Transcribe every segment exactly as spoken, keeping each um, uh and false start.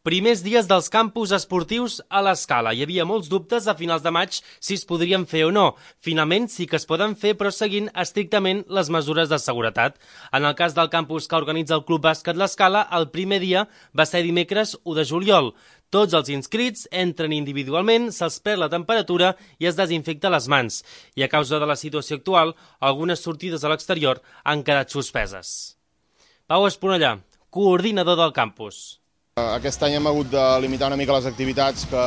Primers dies dels campus esportius a l'Escala. Hi havia molts dubtes a finals de maig si es podrien fer o no. Finalment sí que es poden fer, però seguint estrictament les mesures de seguretat. En el cas del campus que organitza el Club Bàsquet l'Escala, el primer dia va ser dimecres u de juliol. Tots els inscrits entren individualment, se'ls pren la temperatura i es desinfecta les mans. I a causa de la situació actual, algunes sortides a l'exterior han quedat suspeses. Pau Esponellà, coordinador del campus. Aquest any hem hagut de limitar una mica les activitats que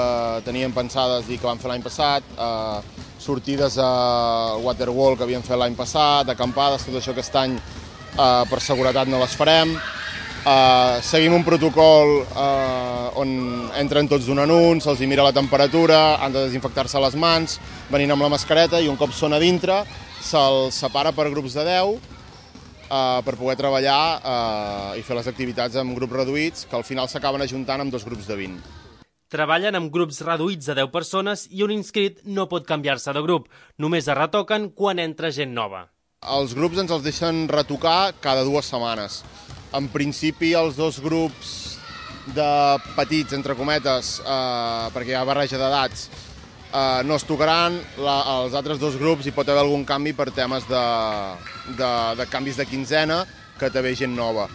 teníem pensades i que vam fer l'any passat, eh, sortides a waterwall que havíem fet l'any passat, acampades, tot això aquest any eh, per seguretat no les farem. Eh, seguim un protocol eh, on entren tots d'un en un, se'ls mira la temperatura, han de desinfectar-se les mans, venint amb la mascareta i un cop són a dintre se'ls separa per grups de deu Uh, per poder treballar uh, i fer les activitats amb grups reduïts, que al final s'acaben ajuntant amb dos grups de vint. Treballen amb grups reduïts de deu persones i un inscrit no pot canviar-se de grup. Només es retoquen quan entra gent nova. Els grups ens els deixen retocar cada dues setmanes. En principi, els dos grups de petits, entre cometes, uh, perquè hi ha barreja d'edats, Uh, no es tocaran. La, els altres dos grups hi pot haver algun canvi per temes de, de, de canvis de quinzena, que té gent nova.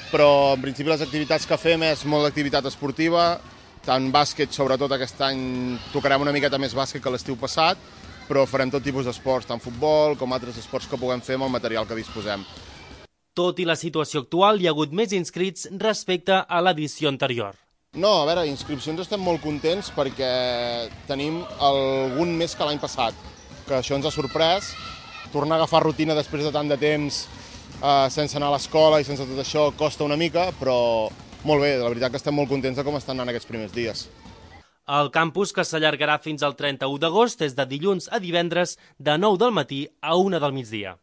Però en principi les activitats que fem és molt d'activitat esportiva, tant bàsquet, sobretot aquest any tocarem una miqueta més bàsquet que l'estiu passat, però farem tot tipus d'esports, tant futbol com altres esports que puguem fer amb el material que disposem. Tot i la situació actual, hi ha hagut més inscrits respecte a l'edició anterior. No, a veure, inscripcions estem molt contents perquè tenim algun més que l'any passat, que això ens ha sorprès. Tornar a agafar rutina després de tant de temps eh, sense anar a l'escola i sense tot això costa una mica, però molt bé, la veritat que estem molt contents de com estan anant aquests primers dies. El campus, que s'allargarà fins al trenta-u d'agost, és de dilluns a divendres de nou del matí a una del migdia.